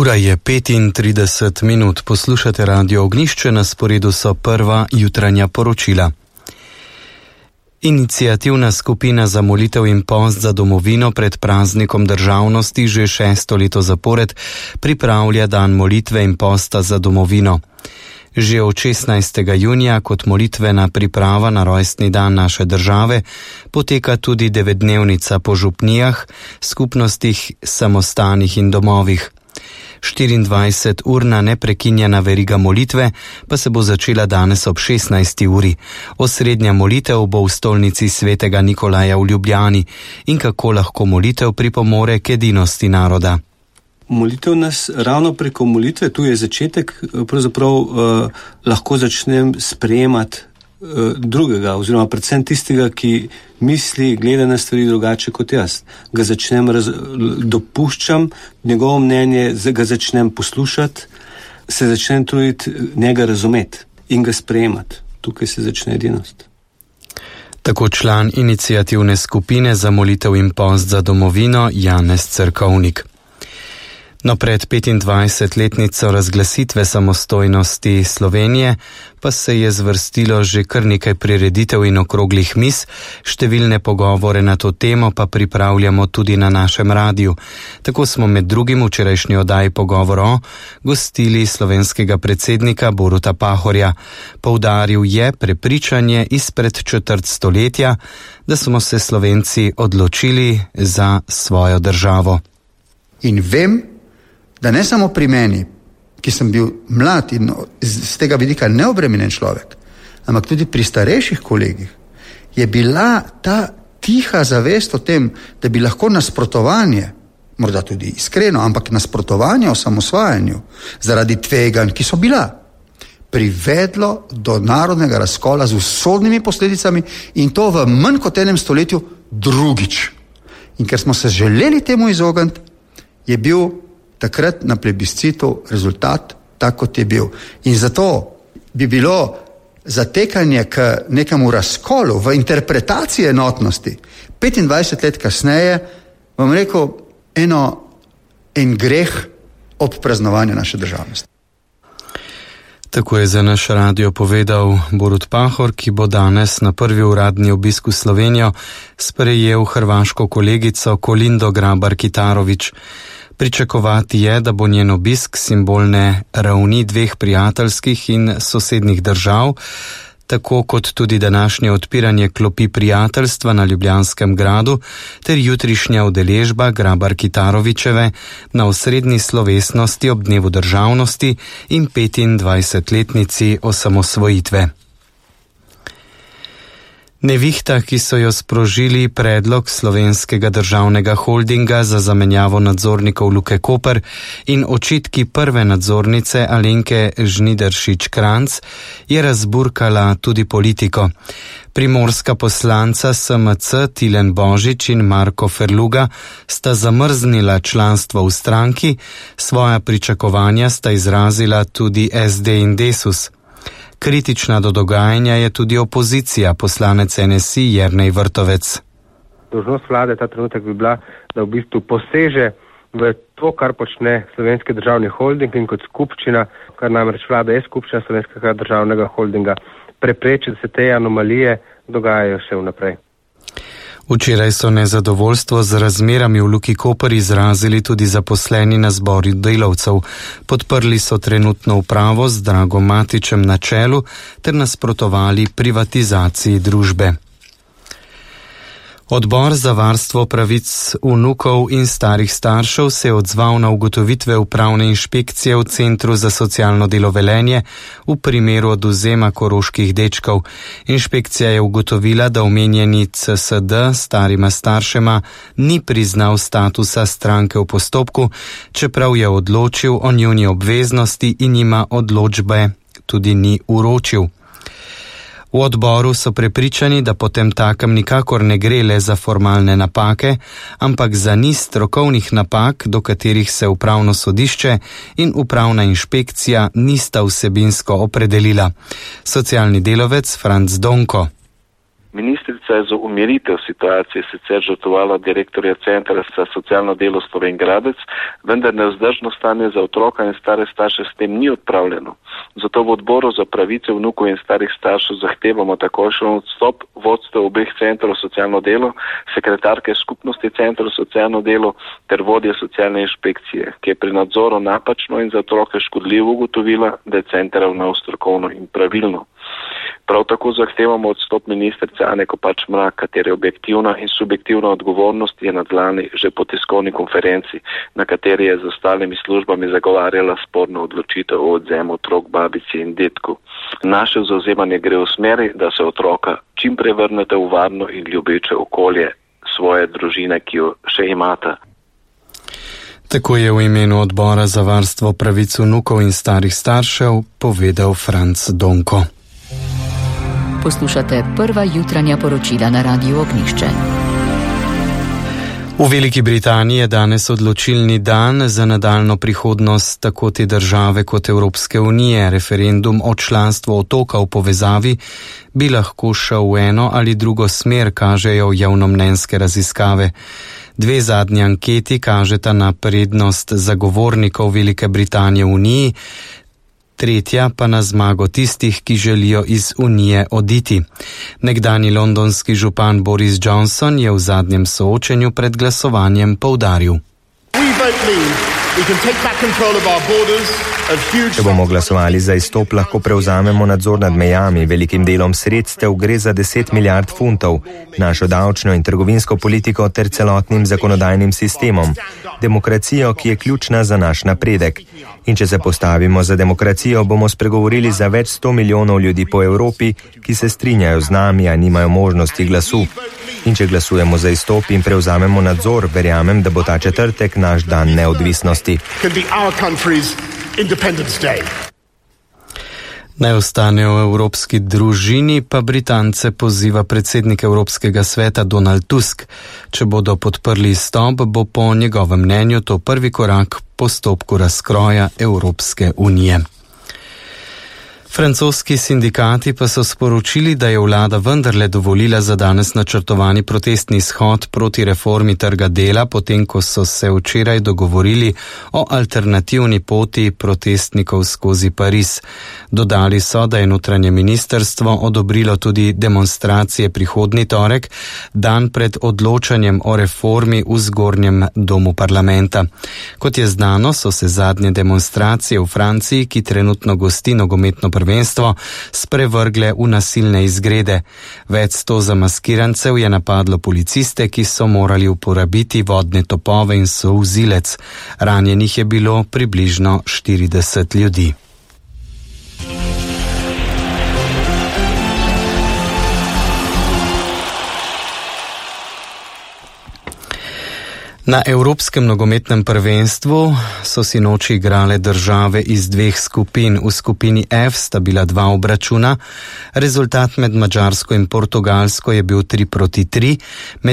Ura je 35 minut, poslušate Radio Ognjišče, na sporedu so prva jutranja poročila. Iniciativna skupina za molitev in post za domovino pred praznikom državnosti že 6. leto zapored pripravlja dan molitve in posta za domovino. Že od 16. junija kot molitvena priprava na rojstni dan naše države poteka tudi 9-dnevnica po župnijah, skupnostih, samostanih in domovih. 24-urna neprekinjena veriga molitve pa se bo začela danes ob 16. uri. Osrednja molitev bo v stolnici svetega Nikolaja v Ljubljani in kako lahko molitev pripomore k edinosti naroda. Molitev nas ravno preko molitve, tu je začetek, pravzaprav lahko začnem sprejemati drugega, oziroma predvsem tistega, ki misli, gleda na stvari drugače kot jaz. Ga začnem dopuščam, njegovo mnenje, ga začnem poslušati, se začnem truditi njega razumeti in ga sprejemati. Tukaj se začne edinost. Tako član iniciativne skupine za molitev in post za domovino Janez Cerkovnik. No, pred 25-letnico razglasitve samostojnosti Slovenije pa se je zvrstilo že kar nekaj prireditev in okroglih miz, številne pogovore na to temo pa pripravljamo tudi na našem radiju. Tako smo med drugim včerajšnji oddaji Pogovor gostili slovenskega predsednika Boruta Pahorja. Poudaril je prepričanje izpred četrt stoletja, da smo se Slovenci odločili za svojo državo. In vem, da ne samo pri meni, ki sem bil mlad in z tega vidika neobremenjen človek, ampak tudi pri starejših kolegih, je bila ta tiha zavest o tem, da bi lahko nasprotovanje, morda tudi iskreno, ampak nasprotovanje osamosvajanju zaradi tveganj, ki so bila, privedlo do narodnega razkola z usodnimi posledicami in to v manj kot enem stoletju drugič. In ker smo se želeli temu izogniti, je bil takrat na plebiscitu rezultat tak, kot je bil. In zato bi bilo zatekanje k nekemu razkolu v interpretaciji enotnosti 25 let kasneje, bom rekel, en greh ob praznovanju naše državnosti. Tako je za naš radio povedal Borut Pahor, ki bo danes na prvi uradni obisk v Slovenijo sprejel hrvaško kolegico Kolindo Grabar-Kitarović. Pričakovati je, da bo njen obisk simbolne ravni dveh prijateljskih in sosednjih držav, tako kot tudi današnje odpiranje klopi prijateljstva na Ljubljanskem gradu ter jutrišnja udeležba Grabar-Kitarovićeve na osrednji slovesnosti ob dnevu državnosti in 25-letnici osamosvojitve. Nevihta, ki so jo sprožili predlog Slovenskega državnega holdinga za zamenjavo nadzornikov Luke Koper in očitki prve nadzornice Alenke Žnidaršič-Kranjc, je razburkala tudi politiko. Primorska poslanca SMC Tilen Božič in Marko Ferluga sta zamrznila članstvo v stranki, svoja pričakovanja sta izrazila tudi SD in Desus. Kritična do dogajanja je tudi opozicija, poslanec NSI Jernej Vrtovec. Dolžnost vlade ta trenutek bi bila, da v bistvu poseže v to, kar počne Slovenski državni holding in kot skupščina, kar namreč vlada je skupščina Slovenskega državnega holdinga, prepreči, da se te anomalije dogajajo še vnaprej. Včeraj so nezadovoljstvo z razmerami v Luki Koper izrazili tudi zaposleni na zboru delavcev. Podprli so trenutno upravo z Dragom Matićem na čelu ter nasprotovali privatizaciji družbe. Odbor za varstvo pravic vnukov in starih staršev se je odzval na ugotovitve upravne inšpekcije v Centru za socialno delo Velenje v primeru odvzema koroških dečkov. Inšpekcija je ugotovila, da omenjeni CSD starima staršema ni priznal statusa stranke v postopku, čeprav je odločil o njuni obveznosti in jima odločbe tudi ni uročil. V odboru so prepričani, da potem takem nikakor ne gre le za formalne napake, ampak za niz strokovnih napak, do katerih se upravno sodišče in upravna inšpekcija nista vsebinsko opredelila. Socialni delavec Franc Donko. Ministrica je za umiritev situacije sicer žrtvovala direktorja Centra za socialno delo Slovenj Gradec, vendar nevzdržno stanje za otroka in stare starše s tem ni odpravljeno. Zato v odboru za pravice vnukov in starih staršev zahtevamo takojšen odstop vodstva obeh centrov socialno delo, sekretarke skupnosti centrov socialno delo ter vodje socialne inšpekcije, ki je pri nadzoru napačno in za otroke škodljivo ugotovila, da je center ravnal strokovno in pravilno. Prav tako zahtevamo odstop ministrice Ane Kopač Mrak, katere objektivna in subjektivna odgovornost je nadlani že po tiskovni konferenci, na kateri je z ostalimi službami zagovarjala sporno odločitev o odvzemu otrok babici in detku. Naše zauzemanje gre v smeri, da se otroka čim prej vrnete v varno in ljubeče okolje svoje družine, ki jo še imata. Tako je v imenu odbora za varstvo pravic vnukov in starih staršev povedal Franc Donko. Poslušate prva jutranja poročila na Radiu Ognjišče. V Veliki Britaniji je danes odločilni dan za nadaljno prihodnost tako te države kot Evropske unije. Referendum o članstvu otoka v povezavi bi lahko šel v eno ali drugo smer, kažejo javnomnenjske raziskave. Dve zadnji anketi kažeta na prednost zagovornikov Velike Britanije v Uniji, tretja pa na zmago tistih, ki želijo iz Unije oditi. Nekdanji londonski župan Boris Johnson je v zadnjem soočenju pred glasovanjem poudaril: Če bomo glasovali za izstop, lahko prevzamemo nadzor nad mejami. Velikim delom sredstev gre za 10 milijard funtov, našo davčno in trgovinsko politiko ter celotnim zakonodajnim sistemom. Demokracijo, ki je ključna za naš napredek. In če se postavimo za demokracijo, bomo spregovorili za več 100 milijonov ljudi po Evropi, ki se strinjajo z nami, a nimajo možnosti glasu. In če glasujemo za izstop in prevzamemo nadzor, verjamem, da bo ta četrtek naš dan neodvisnosti. Naj ostanejo v evropski družini, pa Britance poziva predsednik Evropskega sveta Donald Tusk. Če bodo podprli izstop, bo po njegovem mnenju to prvi korak v postopku razkroja Evropske unije. Francoski sindikati pa so sporočili, da je vlada vendarle dovolila za danes načrtovani protestni shod proti reformi trga dela, potem ko so se včeraj dogovorili o alternativni poti protestnikov skozi Pariz. Dodali so, da je notranje ministrstvo odobrilo tudi demonstracije prihodnji torek, dan pred odločanjem o reformi v zgornjem domu parlamenta. Kot je znano, so se zadnje demonstracije v Franciji, ki trenutno gosti nogometno prvenstvo, sprevrgle v nasilne izgrede. Več 100 zamaskirancev je napadlo policiste, ki so morali uporabiti vodne topove in solzivec. Ranjenih je bilo približno 40 ljudi. Na Evropskem nogometnem prvenstvu so sinoči igrale države iz dveh skupin. V skupini F sta bila 2 obračuna. Rezultat med Madžarsko in Portugalsko je bil 3-3.